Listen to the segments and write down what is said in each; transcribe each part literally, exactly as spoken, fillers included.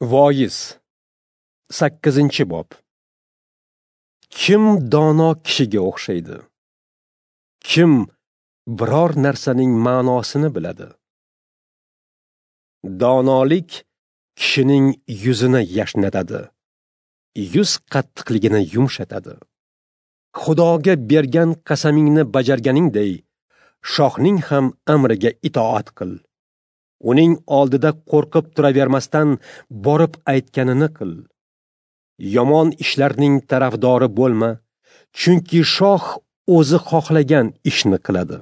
Voiz sakkizinchi bob. Kim dono kishiga o'xshaydi? Kim biror narsaning ma'nosini biladi? Donolik kishining yuzini yashnatadi, yuz qattiqligini yumshatadi. Xudoga bergan qasamingni bajarganingday, shohning ham amriga itoat qil. Uning oldida qo'rqib turavermasdan borib aytganini qil. Yomon ishlarning tarafdori bo'lma, chunki shoh o'zi xohlagan ishni qiladi.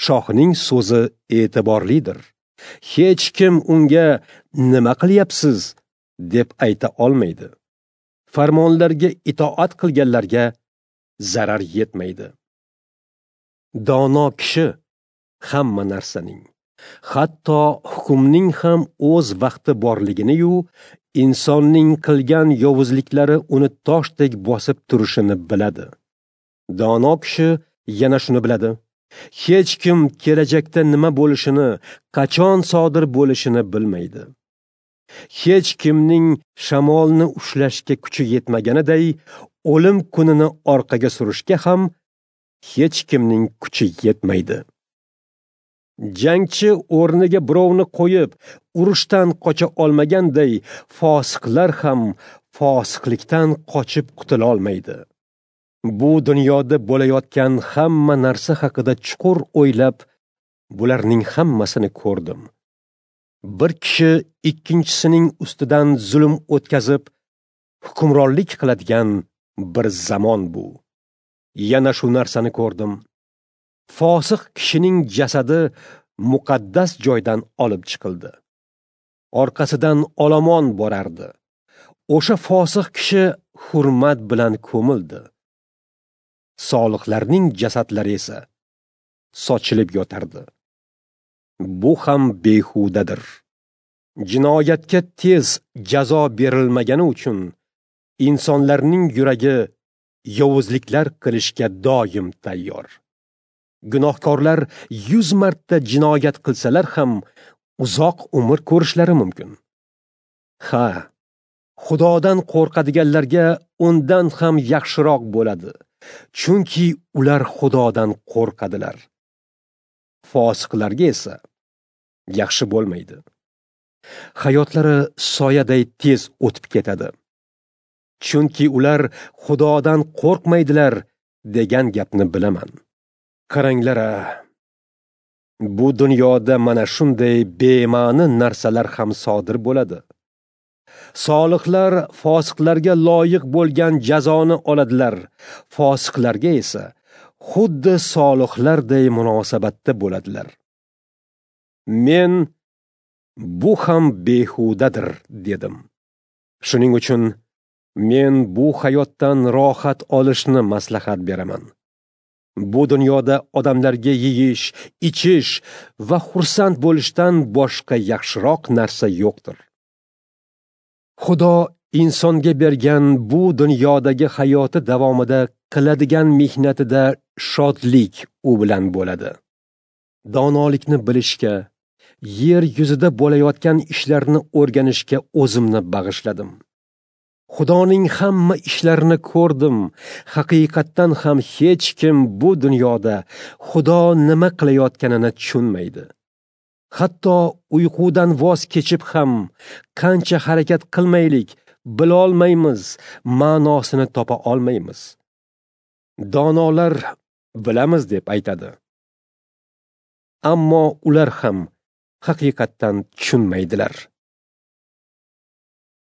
Shohning so'zi e'tiborlidir. Hech kim unga nima qilyapsiz deb ayta olmaydi. Farmonlarga itoat qilganlarga zarar yetmaydi. Dono kishi hamma narsaning, hatto hukmning ham o'z vaqti borligini-yu, insonning qilgan yovuzliklari uni toshdek bosib turishini biladi. Dono kishi yana shuni biladi: hech kim kelajakda nima bo'lishini, qachon sodir bo'lishini bilmaydi. Hech kimning shamolni ushlashga kuchi yetmaganiday, o'lim kunini orqaga surishga ham hech kimning kuchi yetmaydi. Jangchi o'rniga birovni qo'yib, urushdan qocha olmaganday, fosiqlar ham fosiqlikdan qochib qutula olmaydi. Bu dunyoda bo'layotgan hamma narsa haqida chuqur o'ylab, bularning hammasini ko'rdim. Bir kishi ikkinchisining ustidan zulm o'tkazib, hukmronlik qiladigan bir zamon bu. Yana shu narsani ko'rdim. Fosiq kishining jasadi muqaddas joydan olib chiqildi. Orqasidan olomon borardi. O'sha fosiq kishi hurmat bilan ko'mildi. Solihlarning jasadlari esa sochilib yotardi. Bu ham behudadir. Jinoyatga tez jazo berilmagani uchun insonlarning yuragi yovuzliklar qilishga doim tayyor. Gunohkorlar yuz marta jinoyat qilsalar ham uzoq umr ko'rishlari mumkin. Ha, Xudodan qo'rqadiganlarga undan ham yaxshiroq bo'ladi, chunki ular Xudodan qo'rqadilar. Fosiqlarga esa yaxshi bo'lmaydi. Hayotlari soyaday tez o'tib ketadi. Chunki ular Xudodan qo'rqmaydilar degan gapni bilaman. Qaranglar-a, bu dunyoda mana shunday bema'ni narsalar ham sodir bo'ladi. Solihlar fosiqlarga loyiq bo'lgan jazoni oladilar, fosiqlarga esa xuddi solihlarday munosabatda bo'ladilar. Men bu ham behudadir dedim. Shuning uchun men bu hayotdan rohat olishni maslahat beraman. Bu dunyoda odamlarga yeyish, ichish va xursand bo'lishdan boshqa yaxshiroq narsa yo'qdir. Xudo insonga bergan bu dunyodagi hayoti davomida qiladigan mehnatida shodlik u bilan bo'ladi. Donolikni bilishga, yer yuzida bo'layotgan ishlarni o'rganishga o'zimni bag'ishladim. Xudoning hamma ishlarini ko'rdim. Haqiqatdan ham hech kim bu dunyoda Xudo nima qilayotganini tushunmaydi. Hatto uyqudan voz kechib ham qancha harakat qilmaylik, bilolmaymiz, ma'nosini topa olmaymiz. Donolar bilamiz deb aytadi. Ammo ular ham haqiqatdan tushunmaydilar.